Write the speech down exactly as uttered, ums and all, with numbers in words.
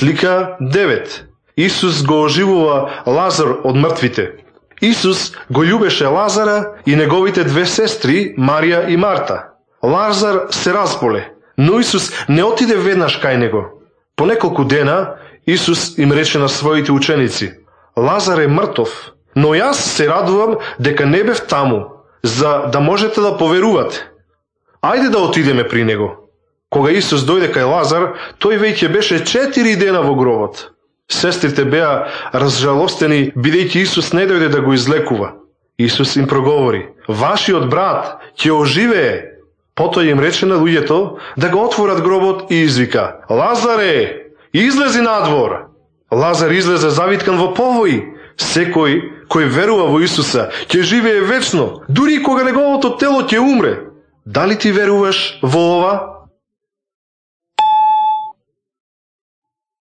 Слика девет. Исус го оживува Лазар од мртвите. Исус го љубеше Лазара и неговите две сестри, Марија и Марта. Лазар се разболе, но Исус не отиде веднаш кај него. По неколку дена Исус им рече на своите ученици: Лазар е мртов, но јас се радувам дека не бев таму, за да можете да поверувате. Ајде да отидеме при него. Кога Исус дојде кај Лазар, тој веќе беше четири дена во гробот. Сестрите беа разжалостени, бидејќи Исус не дојде да го излекува. Исус им проговори: Вашиот брат ќе оживее. Потоа им рече на луѓето да го отворат гробот и извика: Лазаре, излези надвор. Лазар излезе завиткан во повои. Секој кој верува во Исуса ќе живее вечно, дури кога неговото тело ќе умре. Дали ти веруваш во ова?